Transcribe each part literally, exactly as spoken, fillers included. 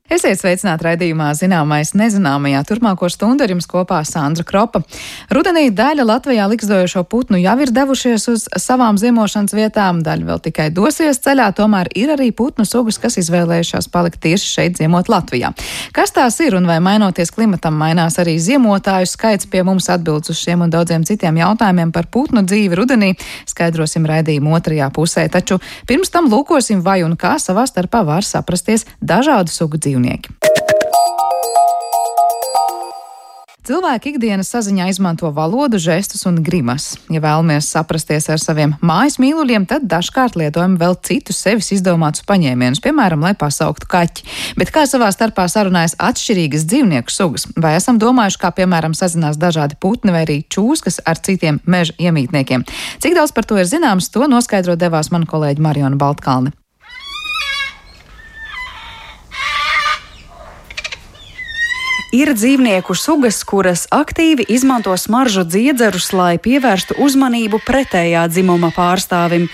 Esiet sveicināti raidījumā Zināmais nezināmajā. Turpmāko stundu ar jums kopā Sandra Kropa. Rudenī daļa Latvijā likstojošo putnu jau ir devušies uz savām ziemošanas vietām, daļa vēl tikai dosies ceļā, tomēr ir arī putnu sugas, kas izvēlējušās palikt tieši šeit ziemot Latvijā. Kas tās ir un vai mainoties klimatam mainās arī ziemotāju skaits? Pie mums atbildes uz šiem un daudziem citiem jautājumiem par putnu dzīvi rudenī skaidrosim raidījumu otrajā pusē, taču pirms tam lūkosim, vai un kā savā starpā var saprasties dažādu sugu dzīvnieki. Cilvēki ikdienas saziņā izmanto valodu, žestus un grimas. Ja vēlamies saprasties ar saviem mājas mīluļiem, tad dažkārt lietojam vēl citus sevis izdomātus paņēmienus, piemēram, lai pasauktu kaķi. Bet kā savā starpā sarunājas atšķirīgas dzīvnieku sugas? Vai esam domājuši, kā piemēram sazinās dažādi putni vai arī čūskas ar citiem meža iemītniekiem? Cik daudz par to ir zināms, to noskaidrot devās mana kolēģe Mariona Baltkalne. Ir dzīvnieku sugas, kuras aktīvi izmanto smaržu dziedzerus, lai pievērstu uzmanību pretējā dzimuma pārstāvim,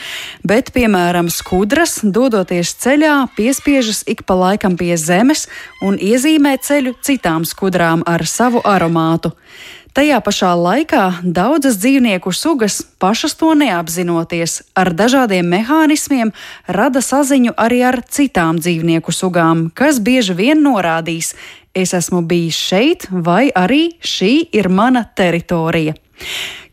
bet, piemēram, skudras, dodoties ceļā, piespiežas ik pa laikam pie zemes un iezīmē ceļu citām skudrām ar savu aromātu. Tajā pašā laikā daudzas dzīvnieku sugas, pašas to neapzinoties, ar dažādiem mehānismiem rada saziņu arī ar citām dzīvnieku sugām, kas bieži vien norādīs: es esmu bijis šeit, vai arī šī ir mana teritorija.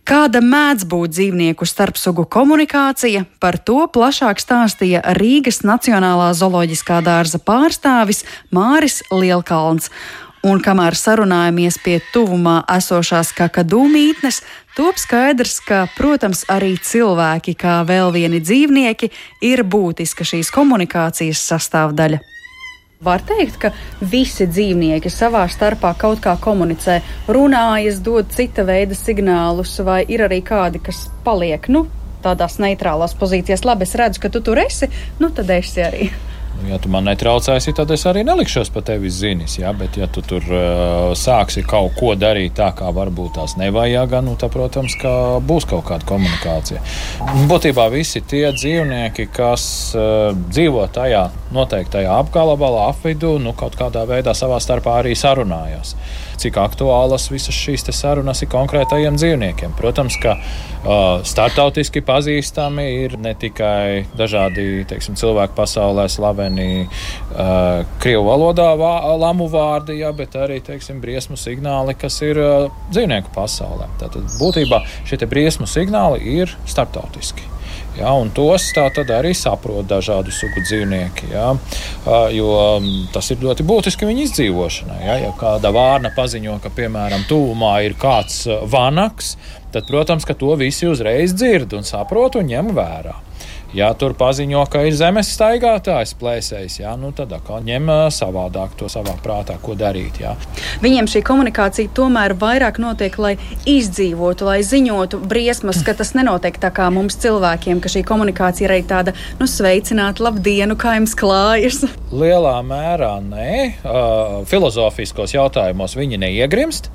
Kāda mēdz būt dzīvnieku starpsugu komunikācija, par to plašāk stāstīja Rīgas Nacionālā zooloģiskā dārza pārstāvis Māris Lielkalns. Un kamēr sarunājamies pie tuvumā esošās kakadu mītnes, top skaidrs, ka, protams, arī cilvēki, kā vēl vieni dzīvnieki, ir būtiska šīs komunikācijas sastāvdaļa. Var teikt, ka visi dzīvnieki savā starpā kaut kā komunicē, runājas, dod cita veida signālus, vai ir arī kādi, kas paliek, nu, tādās neitrālās pozīcijās? Labi, es redzu, ka tu tur esi, nu tad esi arī. Ja tu man netraucēsi, tad es arī nelikšos pa tevi zinis, ja? Bet ja tu tur uh, sāksi kaut ko darīt tā, kā varbūt tās nevajag, nu, tad, protams, ka būs kaut kāda komunikācija. Būtībā visi tie dzīvnieki, kas uh, dzīvo tajā noteiktajā apgabalā, apvidū, nu, kaut kādā veidā savā starpā arī sarunājās. Cik aktuālas visas šīs te sarunas ir konkrētajiem dzīvniekiem. Protams, ka uh, startautiski pazīstami ir ne tikai dažādi, teiksim, cilvēku pasaulē slaveni uh, krievu valodā vā, lamu vārdi, ja, bet arī, teiksim, briesmu signāli, kas ir uh, dzīvnieku pasaulē. Tātad būtībā šie te briesmu signāli ir startautiski. Ja, un tos tā tad arī saprot dažādu sugu dzīvnieki, ja, jo tas ir ļoti būtiski viņu izdzīvošanai. Ja, ja kāda vārna paziņo, ka, piemēram, tuvumā ir kāds vanaks, tad, protams, ka to visi uzreiz dzird un saprot un ņem vērā. Ja tur paziņo, ka ir zemes staigātājs, plēsējs, ja, nu tad atkal ņem savādāk to savā prātā, ko darīt. Ja. Viņiem šī komunikācija tomēr vairāk notiek, lai izdzīvotu, lai ziņotu briesmas, ka tas nenotiek tā kā mums cilvēkiem, ka šī komunikācija ir arī tāda, nu, sveicināt, labdienu, kā jums klājas. Lielā mērā nē. Uh, filozofiskos jautājumos viņi neiegrimst.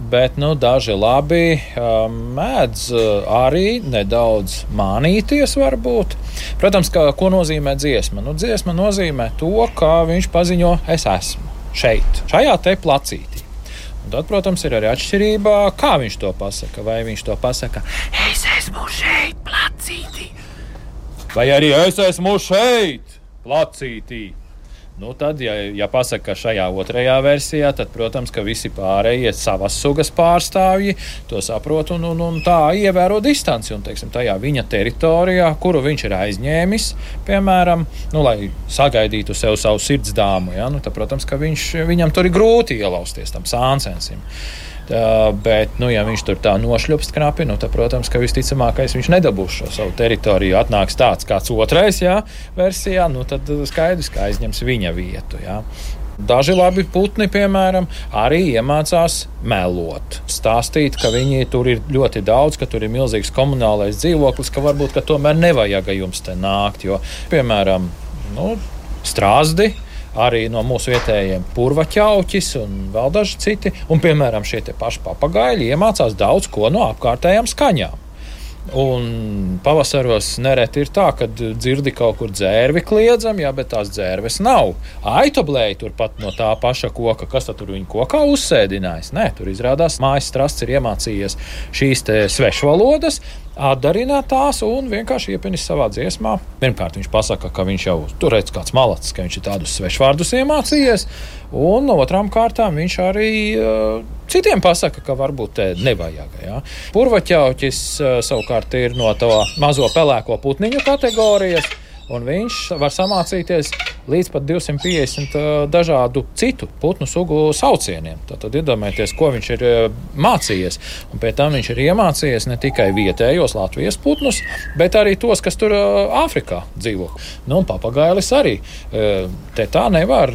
Bet nu, daži labi uh, mēdz uh, arī nedaudz mānīties varbūt. Protams, ka, ko nozīmē dziesma? Nu, dziesma nozīmē to, ka viņš paziņo, es esmu šeit, šajā te placītī. Un tad, protams, ir arī atšķirība, kā viņš to pasaka. Vai viņš to pasaka, es esmu šeit placītī. Vai arī es esmu šeit placītī. Nu, tad, ja, ja pasaka šajā otrajā versijā, tad, protams, ka visi pārējie savas sugas pārstāvji to saprot un, un, un tā ievēro distanci. Un, teiksim, tajā viņa teritorijā, kuru viņš ir aizņēmis, piemēram, nu, lai sagaidītu sev savu sirdsdāmu, ja, nu, tad, protams, ka viņš, viņam tur ir grūti ielausties tam sāncensim. Tā, bet, nu, ja viņš tur tā nošļupst knapi, nu, tad, protams, ka visticamākais viņš nedabūs šo savu teritoriju. Atnāks tāds kāds otrais, jā, versijā, nu, tad skaidrs, ka aizņems viņa vietu, jā. Daži labi putni, piemēram, arī iemācās melot. Stāstīt, ka viņi tur ir ļoti daudz, ka tur ir milzīgs komunālais dzīvoklis, ka varbūt, ka tomēr nevajag jums te nākt, jo, piemēram, nu, strāzdi, arī no mūsu vietējiem purvaķauķis un vēl daži citi. Un, piemēram, šie te paši papagaļi iemācās daudz ko no apkārtējām skaņām. Un pavasaros nereti ir tā, kad dzirdi kaut kur dzērvi kliedzam, jā, bet tās dzērves nav. Aitoblēji turpat no tā paša koka, kas tad tur viņu kokā uzsēdinājis? Nē, tur izrādās mājas strasts ir iemācījies šīs te svešvalodas, atdarināt tās un vienkārši iepinis savā dziesmā. Pirmkārt, viņš pasaka, ka viņš jau tur redz kāds malacis, ka viņš ir tādus svešvārdus iemācījies, un otrām kārtām viņš arī uh, citiem pasaka, ka varbūt te nevajag. Ja? Purvaķauķis uh, savukārt ir no to mazo pelēko putniņu kategorijas, un viņš var samācīties līdz pat divsimt piecdesmit dažādu citu putnu sugu saucieniem. Tātad iedomājieties, ko viņš ir mācījies. Un pēc tam viņš ir iemācījies ne tikai vietējos Latvijas putnus, bet arī tos, kas tur Āfrikā dzīvo. Nu, un papagailis arī. Te tā nevar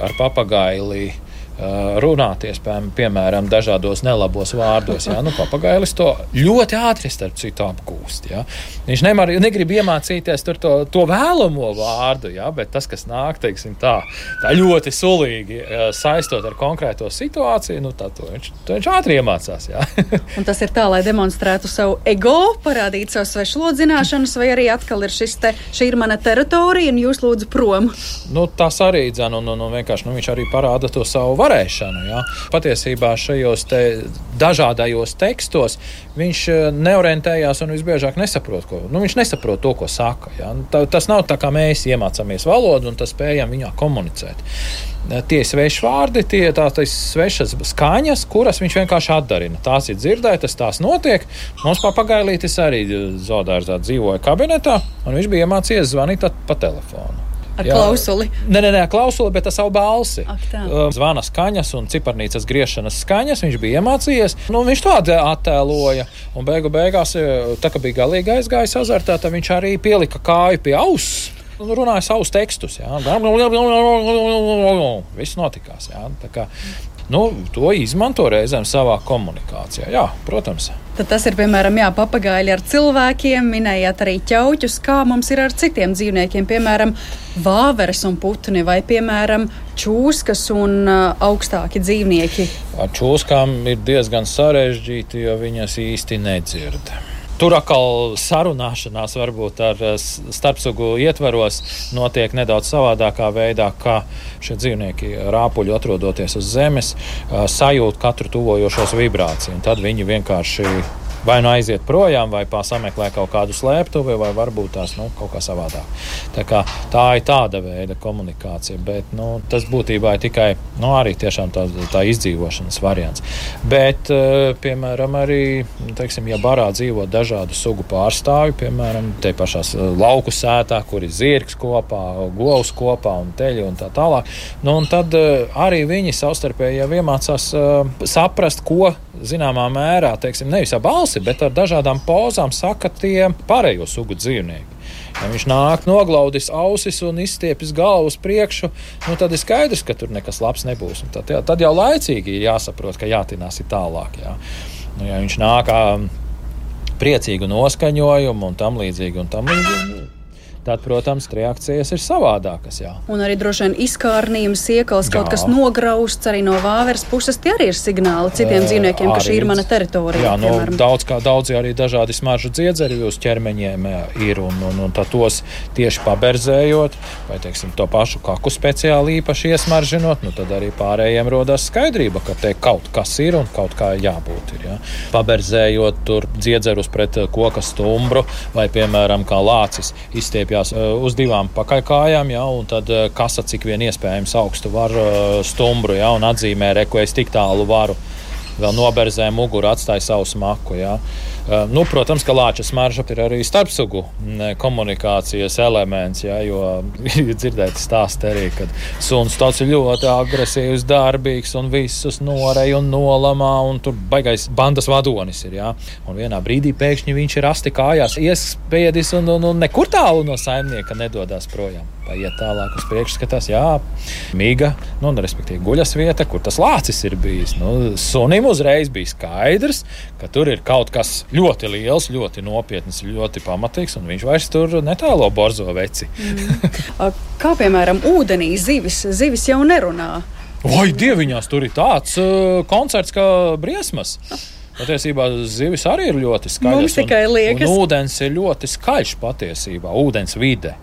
ar papagaili runāties, piemēram, dažādos nelabos vārdos. Jā. Nu, papagailis to ļoti ātri starp citu apgūst. Jā. Viņš nemar, negrib iemācīties tur to, to vēlamo vārdu, jā, bet tas, kas nāk, teiksim, tā, tā ļoti sulīgi saistot ar konkrēto situāciju, nu, tā, to, viņš, to viņš ātri iemācās. Jā. Un tas ir tā, lai demonstrētu savu ego, parādītu savu svešvalodu zināšanas, vai arī atkal ir šis te, šī ir mana teritorija, un jūs lūdzu prom? Nu, tas arī, dzen, un, un, un vienkārši, nu, viņš arī parāda to savu varēšanu. Ja? Patiesībā šajos te dažādajos tekstos viņš neorientējās un visbiežāk nesaprot, ko, nu, viņš nesaprot to, ko saka. Ja? Tas nav tā, kā mēs iemācāmies valodu un tas spējam viņā komunicēt. Tie sveši vārdi, tie tādas svešas skaņas, kuras viņš vienkārši atdarina. Tās ir dzirdētas, tās notiek. Mums papagailītis arī zoodārzā dzīvoja kabinetā, un viņš bija iemācījies zvanīt pa telefonu. Ar Jā. klausuli? Nē, nē, nē, klausuli, bet ar savu balsi. Ak, tā. Zvana skaņas un ciparnīcas griešanas skaņas viņš bija iemācījies. Nu, viņš to attēloja. Un beigu beigās, tā kā bija galīgi aizgājis azartā, tad viņš arī pielika kāju pie auss. Un runāja savus tekstus. Jā. Viss notikās. Jā. Tā kā, nu, to izmanto reizēm savā komunikācijā. Jā, protams. Tad tas ir, piemēram, jā, papagaili ar cilvēkiem, minējāt arī ķauķus, kā mums ir ar citiem dzīvniekiem, piemēram, vāveres un putni vai, piemēram, čūskas un uh, augstāki dzīvnieki. Ar čūskām ir diezgan sarežģīti, jo viņas īsti nedzird. Tur atkal sarunāšanās varbūt ar starpsugu ietvaros notiek nedaudz savādākā veidā, kā šie dzīvnieki rāpuļi atrodoties uz zemes, sajūt katru tuvojošos vibrāciju. Un tad viņi vienkārši vai nu aiziet projām, vai sameklē kaut kādu slēptuvi, vai varbūt tās nu, kaut kā savādāk. Tā, kā, tā ir tāda veida komunikācija, bet nu, tas būtībā ir tikai nu, arī tiešām tā, tā izdzīvošanas variants. Bet, piemēram, arī, teiksim, ja barā dzīvo dažādu sugu pārstāvju, piemēram, te pašās lauku sētā, kur ir zirgs kopā, govs kopā un teļi un tā tālāk, nu, un tad arī viņi savstarpēji jau iemācās saprast, ko zināmā mērā, teiksim, nevis ar balsi, bet ar dažādām pozām saka tie pārējo sugu dzīvnieki. Ja viņš nāk noglaudis ausis un izstiepis galvu uz priekšu, nu tad ir skaidrs, ka tur nekas labs nebūs. Un tad, jā, tad jau laicīgi ir jāsaprot, ka jātinās ir tālāk. Jā. Nu, ja viņš nāk priecīgu noskaņojumu un tam līdzīgi un tam līdzīgi, tad, protams, reakcijas ir savādākas. Jā. Un arī droši vien izkārnījums, iekals, kaut kas nograusts arī no vāveres puses, tie arī ir signāli citiem e, dzīvniekiem, ka šī ir mana teritorija. Jā, no, daudz, kā, daudz arī dažādi smaržu dziedzeri uz ķermeņiem ir, un, un, un tad tos tieši paberzējot, vai, teiksim, to pašu kaku speciāli īpaši iesmaržinot, nu tad arī pārējiem rodās skaidrība, ka te kaut kas ir un kaut kā jābūt ir. Jā. Paberzējot tur dziedzerus pret koka stumbru, vai, piemēram, kā lācis izstiepja uz divām pakaļkājām, ja, un tad kasa cik vien iespējams augstu var stumbru, ja, un atzīmē, re, ko es tik tālu varu. Vēl noberzē muguru, atstāja savu smaku. Ja. Nu, protams, ka lāča smarža ir arī starpsugu komunikācijas elements, ja, jo ir dzirdēti stāsti arī, kad suns tāds ir ļoti agresīvs, darbīgs un visus norej un nolamā, un tur baigais bandas vadonis ir. Ja. Un vienā brīdī pēkšņi viņš ir asti kājās, iespiedis un, un, un nekur tālu no saimnieka nedodās projām. Paiet tālāk uz priekšu, skatās, jā, miga, nu, respektīvi guļas vieta, kur tas lācis ir bijis. Nu, sunim uzreiz bija skaidrs, ka tur ir kaut kas ļoti liels, ļoti nopietns, ļoti pamatīgs, un viņš vairs tur netēlo borzo veci. Mm. Kā, piemēram, ūdenī zivis? Zivis jau nerunā. Oi, dieviņās, tur ir tāds uh, koncerts kā briesmas. Patiesībā zivis arī ir ļoti skaļas. Mums tikai liekas. Un, un ūdens ir ļoti skaļš patiesībā, ūdens vide.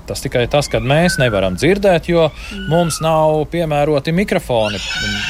Tas tikai tas, kad mēs nevaram dzirdēt, jo mums nav piemēroti mikrofoni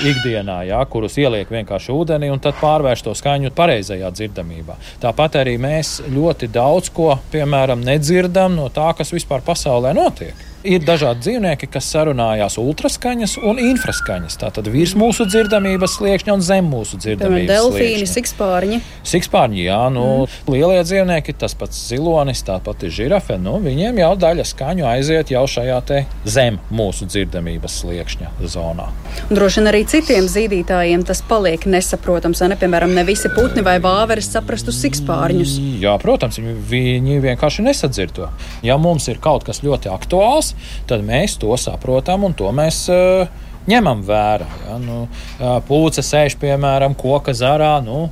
ikdienā, jā, kurus ieliek vienkārši ūdenī un tad pārvērš to skaņu pareizajā dzirdamībā. Tāpat arī mēs ļoti daudz ko, piemēram, nedzirdam no tā, kas vispār pasaulē notiek. Ir dažādi dzīvnieki, kas sarunājās ultraskaņas un infraskaņas. Tātad virs mūsu dzirdamības sliekšņa un zem mūsu dzirdamības sliekšņa. Delfīni, sikspārņi. Sikspārņi, jā, nu, mm. lielie dzīvnieki, tas pats zilonis, tāpat ir žirafe, nu, viņiem jau daļa skaņu aiziet jau šajā te zem mūsu dzirdamības sliekšņa zonā. Un droši vien arī citiem zīdītājiem tas paliek nesaprotams, vai ne? Piemēram, ne visi putni vai vāveres saprastu sikspārņus. Jā, protams, viņi, viņi vienkārši nesadzird to. Ja mums ir kaut kas ļoti aktuāls, tad mēs to saprotam un to mēs uh, ņemam vērā. Ja? Nu, uh, pūce sēž, piemēram, koka zarā, nu,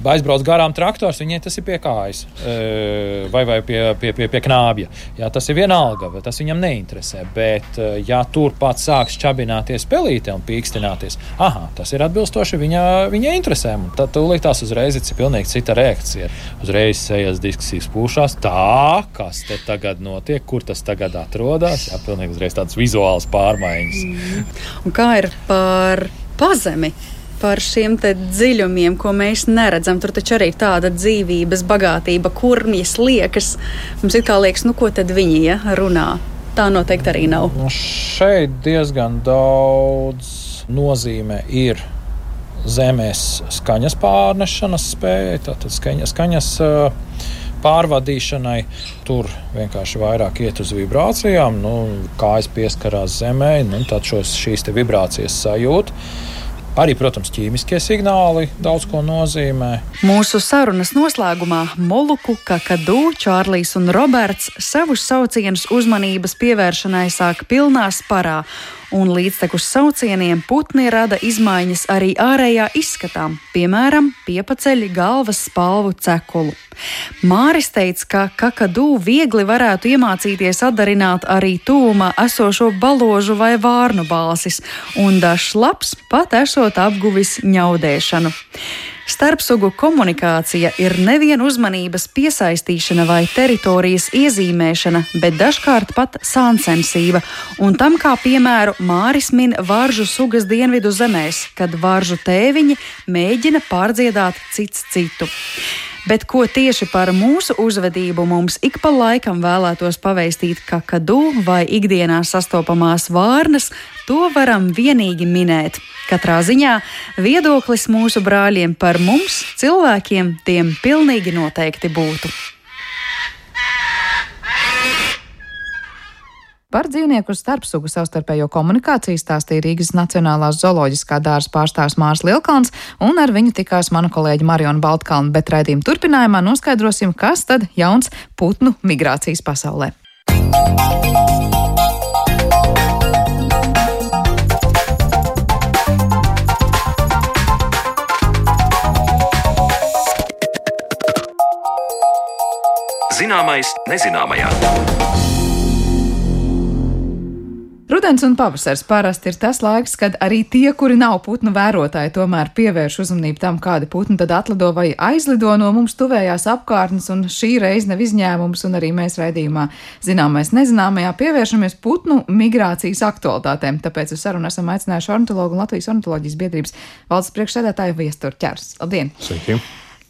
aizbrauc garām traktors, viņai tas ir pie kājas uh, vai, vai pie, pie, pie, pie knābja. Ja, tas ir vienalga, bet tas viņam neinteresē. Bet, uh, ja tur pats sāks čabināties pelīte un pīkstināties, aha, tas ir atbilstoši viņa, viņa interesēm. Un tad tūlīt tās uzreiz ir pilnīgi cita reakcija. Uzreiz sejas diskusijas pūšās, tā, kas te tagad notiek, kur tas tagad atrodas. Jā, pilnīgi uzreiz tādas vizuālas pārmaiņas. Mm. Un kā ir par pazemi? Par šiem te dziļumiem, ko mēs neredzam. Tur taču arī ir tāda dzīvības bagātība, kurmjas liekas. Mums it kā liekas, nu ko tad viņi ja, runā. Tā noteikti arī nav. Nu, šeit diezgan daudz nozīme ir zemes skaņas pārnešanas spēja, tātad skaņas, skaņas pārvadīšanai. Tur vienkārši vairāk iet uz vibrācijām, nu, kājas pieskarās zemē, nu, tad šos, šīs te vibrācijas sajūt. Arī, protams, ķīmiskie signāli daudz ko nozīmē. Mūsu sarunas noslēgumā Moluku, Kakadu, Čārlijs un Roberts savus saucienus uzmanības pievēršanai sāk pilnā sparā, un līdztekus saucieniem putni rada izmaiņas arī ārējā izskatā, piemēram, piepaceļ galvas spalvu cekulu. Māris teica, ka Kakadu viegli varētu iemācīties atdarināt arī tūmā esošo baložu vai vārnu balsis, un dažs labs pat esot apguvis ņaudēšanu. Starpsugu komunikācija ir nevien uzmanības piesaistīšana vai teritorijas iezīmēšana, bet dažkārt pat sāncensība, un tam kā piemēru Māris min varžu sugas dienvidu zemēs, kad varžu tēviņi mēģina pārdziedāt cits citu. Bet ko tieši par mūsu uzvedību mums ik pa laikam vēlētos paveistīt Kakadu vai ikdienā sastopamās vārnas, to varam vienīgi minēt. Katrā ziņā viedoklis mūsu brāļiem par mums, cilvēkiem, tiem pilnīgi noteikti būtu. Par dzīvnieku starpsugu savstarpējo komunikāciju stāstīja Rīgas Nacionālās zooloģiskā dārza pārstāvs Mārs Lielkalns, un ar viņu tikās mana kolēģe Mariona Baltkalna, bet raidījuma turpinājumā noskaidrosim, kas tad jauns putnu migrācijas pasaulē. Zināmais nezināmajā. Rudens un pavasars parasti ir tas laiks, kad arī tie, kuri nav putnu vērotāji, tomēr pievērš uzmanību tam, kādi putni tad atlido vai aizlido no mums tuvējās apkārtnes, un šī reize nav izņēmums, un arī mēs raidījumā Zināmais nezināmajā pievēršamies putnu migrācijas aktualitātēm. Tāpēc uz sarunu esam aicinājuši ornitologu un Latvijas ornitoloģijas biedrības valdes priekšsēdētāju Viesturu Ķers. Labdien! Sveiki!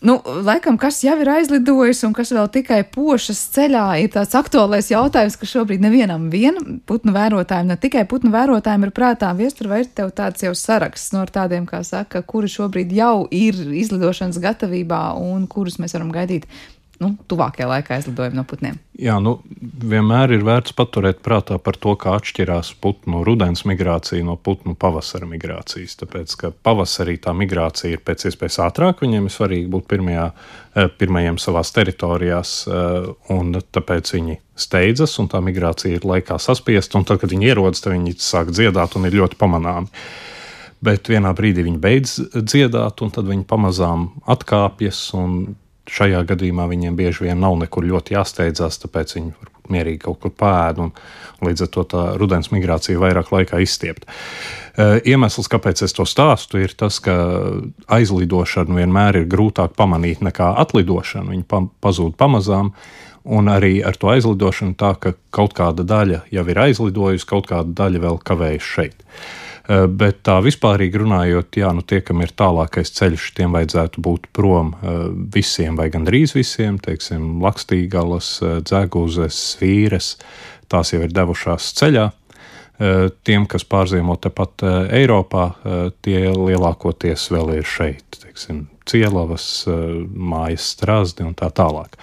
Nu, laikam, kas jau ir aizlidojis un kas vēl tikai pošas ceļā, ir tāds aktuālais jautājums, ka šobrīd nevienam vien putnu vērotājiem, ne tikai putnu vērotājiem ir prātā. Viestur, vai ir tev tāds jau saraksts no tādiem, kā saka, kuri šobrīd jau ir izlidošanas gatavībā un kurus mēs varam gaidīt? Nu, tuvākajā laikā aizlidojumi no putniem. Jā, nu, vienmēr ir vērts paturēt prātā par to, kā atšķirās putnu rudens migrācija no putnu pavasara migrācijas. Tāpēc, ka pavasarī tā migrācija ir pēc iespējas ātrāk, viņiem ir svarīgi būt pirmajā, pirmajiem savās teritorijās, un tāpēc viņi steidzas, un tā migrācija ir laikā saspiesta, un tad, kad viņi ierodas, tad viņi sāk dziedāt un ir ļoti pamanāmi. Bet vienā brīdī viņi beidz dziedāt, un tad viņi pamazām atkāpjas, un šajā gadījumā viņiem bieži vien nav nekur ļoti jāsteidzās, tāpēc viņi varbūt mierīgi kaut kur pēd, un līdz ar to tā rudens migrācija vairāk laikā izstiept. Iemesls, kāpēc es to stāstu, ir tas, ka aizlidošanu vienmēr ir grūtāk pamanīt nekā atlidošanu. Viņi pa, pazūd pamazām, un arī ar to aizlidošanu tā, ka kaut kāda daļa jau ir aizlidojusi, kaut kāda daļa vēl kavējas šeit. Bet tā vispārīgi runājot, jā, nu tie, kam ir tālākais ceļš, tiem vajadzētu būt prom visiem vai gandrīz visiem, teiksim, Lakstīgalas, Dzeguzes, Svīres, tās jau ir devušās ceļā. Tiem, kas pārziemo tepat Eiropā, tie lielākoties vēl ir šeit, teiksim, Cielavas, Mājas Strazdi un tā tālāk.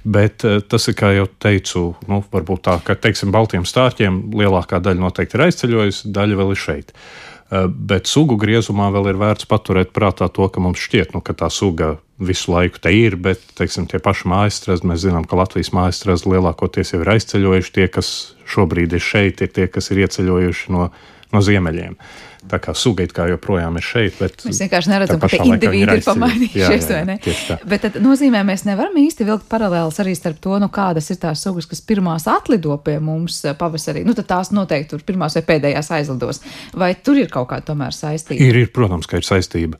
Bet tas ir, kā jau teicu, nu, varbūt tā, ka, teiksim, baltiem stārķiem lielākā daļa noteikti ir aizceļojusi, daļa vēl ir šeit. Bet sugu griezumā vēl ir vērts paturēt prātā to, ka mums šķiet, nu, ka tā suga visu laiku te ir, bet, teiksim, tie paši mājastrazdi, mēs zinām, ka Latvijas mājastrazdi lielākoties jau ir aizceļojuši, tie, kas šobrīd ir šeit, ir tie, kas ir ieceļojuši no, no ziemeļiem. Tā kā suga it kā joprojām ir šeit, bet mēs vienkārši neredzam, ka tie indivīdi ir pamainījušies, vai ne? Bet tad nozīmē, mēs nevaram īsti vilkt paralēlas arī starp to, nu kādas ir tās sugas, kas pirmās atlido pie mums pavasarī. Nu tad tās noteikti tur pirmās vai pēdējās aizlidos. Vai tur ir kaut kāda tomēr saistība? Ir, ir, protams, ka ir saistība.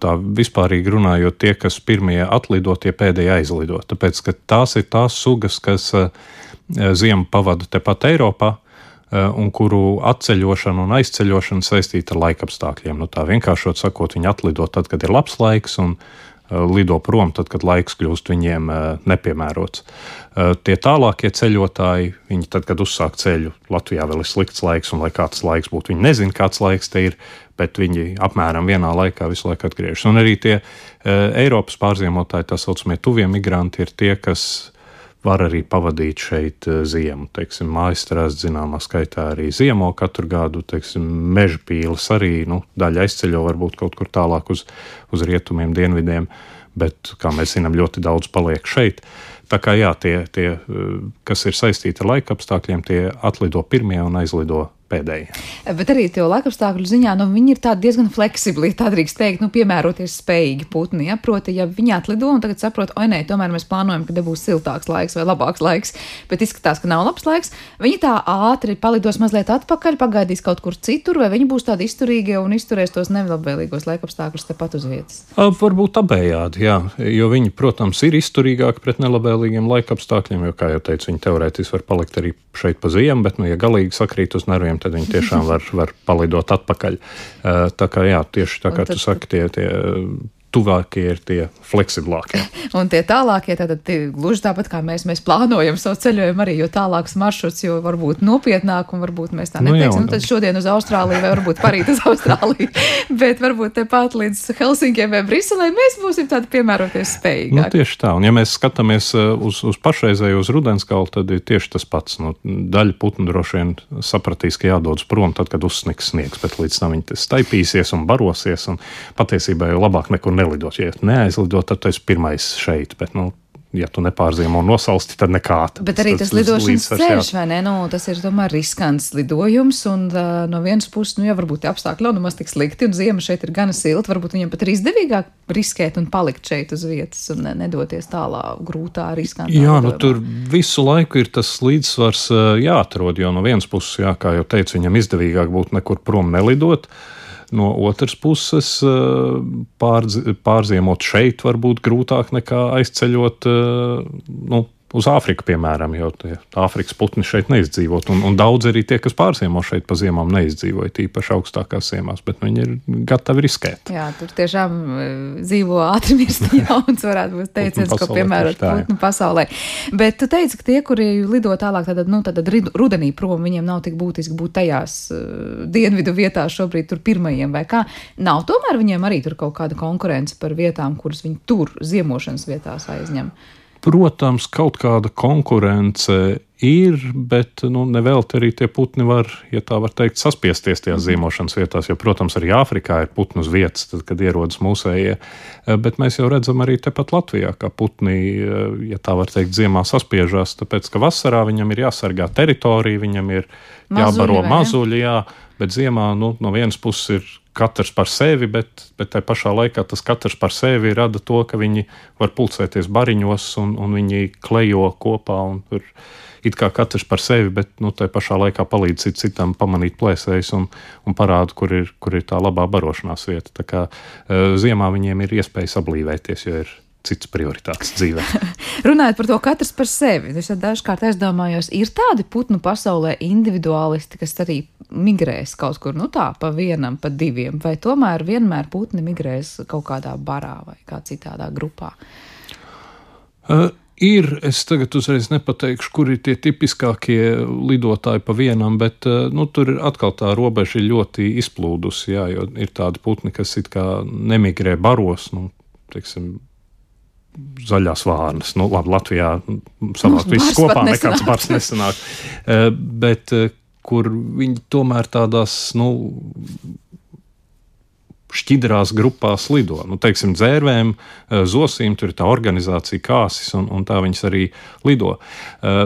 Tā vispārīgi runājot, tie, kas pirmie atlido, tie pēdējie aizlido. Tāpēc, ka tās ir tās sugas, kas ziemu pavada tepat Eiropā, un kuru atceļošana un aizceļošana saistīta ar laikapstākļiem. Nu, tā vienkāršot sakot, viņi atlido tad, kad ir labs laiks, un lido prom tad, kad laiks kļūst viņiem nepiemērots. Tie tālākie ceļotāji, viņi tad, kad uzsāk ceļu, Latvijā vēl ir slikts laiks, un lai kāds laiks būtu, viņi nezina, kāds laiks te ir, bet viņi apmēram vienā laikā visu laiku atgriežas. Un arī tie Eiropas pārziemotāji, tā saucamie tuvie migranti, ir tie, kas var arī pavadīt šeit ziemu. Teiksim, Mājastrazdi zināmā skaitā arī ziemo katru gadu, teiksim, Mežpīles arī, nu, daļa aizceļo varbūt kaut kur tālāk uz, uz rietumiem, dienvidiem, bet, kā mēs zinām, ļoti daudz paliek šeit. Tā kā jā, tie, tie kas ir saistīti ar laikapstākļiem, tie atlido pirmie un aizlido pēdējie. Bet arī to laikapstākļu ziņā, nu, viņi ir tādi diezgan fleksibli, tā drīkst teikt, nu, piemēroties spējīgi putni, ja, proti, ja viņi atlido un tagad saprot, oi, nē, tomēr mēs plānojam, ka būs siltāks laiks vai labāks laiks, bet izskatās, ka nav labs laiks, viņi tā ātri palidos mazliet atpakaļ, pagaidīs kaut kur citur, vai viņi būs tādi izturīgie un izturēs tos nelabvēlīgos laikapstākļus tepat uz vietas? Varbūt abējādi, jā, jo viņi, protams, ir izturīgāki pret nelabvēlīgiem laikapstākļiem, jo, kā jau teicu, viņi teorētiski var palikt arī šeit pa ziemu, bet, nu, ja galīgi sakrīt uz nerviem, tad viņi tiešām var, var palidot atpakaļ. Tā kā jā, tieši tā kā tad, tu saki, tie, tie tuvākie ir tie fleksiblākie. Un tie tālākie, tātad tie, gluži tāpat kā mēs, mēs plānojam savu ceļojumu arī, jo tālāks maršruts, jo varbūt nopietnāk un varbūt mēs tā neteiksim, nu, nu tad šodien uz Austrāliju vai varbūt parīt uz Austrāliju, bet varbūt tepat līdz Helsinkiem vai Briselē mēs būsim tādi piemēroties spējīgāk. Nu, tieši tā, un ja mēs skatāmies uz, uz pašreizēju uz Rudenskalu, tad ir tieši tas pats. Nu, daļa putnu droši vien sapratīs, ka jādodas prom tad, kad uzsniks sniegs, bet līdz tam viņi staipīsies un barosies, un patiesībā jau labāk nekur nelidot. Ja neaizlidot, tad tu esi pirmais šeit, bet, nu, ja tu nepārziemo nosalsti, tad nekā. Bet arī tas, tas lidošanas ceļš, vai ne? Nu, tas ir tomēr riskants lidojums, un uh, no vienas puses, nu, ja varbūt apstākļi nav nemaz tik slikti, un ziema šeit ir gana silta, varbūt viņam pat ir izdevīgāk riskēt un palikt šeit uz vietas un nedoties tālā grūtā, riskantā. Jā, lidojumā. Nu, tur visu laiku ir tas līdzsvars uh, jāatrod, jo no vienas puses, jā, kā jau teicu, viņam izdevīgāk būtu nekur prom nelidot. No otras puses, pārdz, pārziemot šeit var būt grūtāk nekā aizceļot, nu, uz Āfriku, piemēram, jo Āfrikas putni šeit neizdzīvot, un, un daudz arī tie, kas pārziemo šeit pa ziemām neizdzīvoja, tīpaši augstākās ziemās, bet viņi ir gatavi riskēt. Jā, tur tiešām dzīvo ātri mirst jauns, varētu būt teiciens, ko piemērot putnu pasaulē. Bet tu teici, ka tie, kuri lido tālāk, tad, nu, tad rudenī prom, viņiem nav tik būtiski būt tajās uh, dienvidu vietās šobrīd tur pirmajiem, vai kā? Nav tomēr viņiem arī tur kaut kāda konkurence par vietām, kuras viņi tur ziemošanas vietās aizņem? Protams, kaut kāda konkurence ir, bet nu, nevelti arī tie putni var, ja tā var teikt, saspiesties tajās ziemošanas vietās, jo, protams, arī Āfrikā ir putnu uz vietas, tad, kad ierodas mūsējie, bet mēs jau redzam arī tepat Latvijā, kā putni, ja tā var teikt, ziemā saspiežās, tāpēc, ka vasarā viņam ir jāsargā teritorija, viņam ir jābaro mazuļi, jā, bet ziemā nu, no vienas puses ir katrs par sevi, bet, bet tai pašā laikā tas katrs par sevi rada to, ka viņi var pulcēties bariņos un, un viņi klejo kopā un tur it kā katrs par sevi, bet nu, tai pašā laikā palīdz cit citam pamanīt plēsējus un, un parāda, kur ir, kur ir tā labā barošanās vieta. Tā kā uh, ziemā viņiem ir iespēja sablīvēties, jo ir cits prioritātes dzīvē. Runājot par to katrs par sevi, es dažkārt aizdomājos, ir tādi putnu pasaulē individuālisti, kas arī migrēs kaut kur, nu tā, pa vienam, pa diviem, vai tomēr vienmēr putni migrēs kaut kādā barā vai kā citādā grupā? Uh, ir, es tagad uzreiz nepateikšu, kur ir tie tipiskākie lidotāji pa vienam, bet uh, nu, tur ir atkal tā robeža ļoti izplūdusi, jā, jo ir tādi putni, kas it kā nemigrē baros, nu, teiksim, zaļās vārnas. Nu, labi, Latvijā savākt visus kopā, nekāds bars nesanāk. Uh, bet uh, kur viņi tomēr tādās, nu, šķidrās grupās lido. Nu, teiksim, dzērvēm, zosīm, tur ir tā organizācija kāsis, un, un tā viņas arī lido.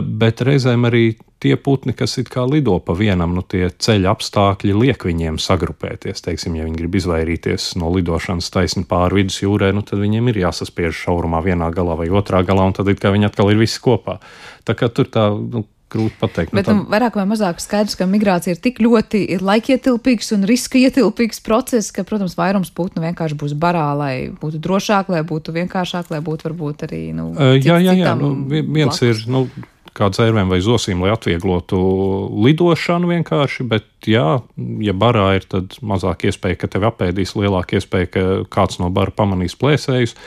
Bet reizēm arī tie putni, kas it kā lido pa vienam, nu, tie ceļa apstākļi liek viņiem sagrupēties. Teiksim, ja viņi grib izvairīties no lidošanas taisni pāri vidusjūrē, nu, tad viņiem ir jāsaspiež šaurumā vienā galā vai otrā galā, un tad it kā viņi atkal ir visi kopā. Tā kā tur tā, nu, grūti pateikt. Bet nu, vairāk vai mazāk skaidrs, ka migrācija ir tik ļoti ir laikietilpīgs un riska ietilpīgs process, ka, protams, vairums putnu vienkārši būs barā, lai būtu drošāk, lai būtu vienkāršāk, lai būtu varbūt arī, nu, uh, jā, jā, jā. Nu, viens blakus. Ir, nu, kā dzērvēm vai zosīm, lai atvieglotu lidošanu vienkārši, bet jā, ja barā ir, tad mazāk iespēja, ka tevi apēdīs, lielāka iespēja, ka kāds no bara pamanīs plēsējus.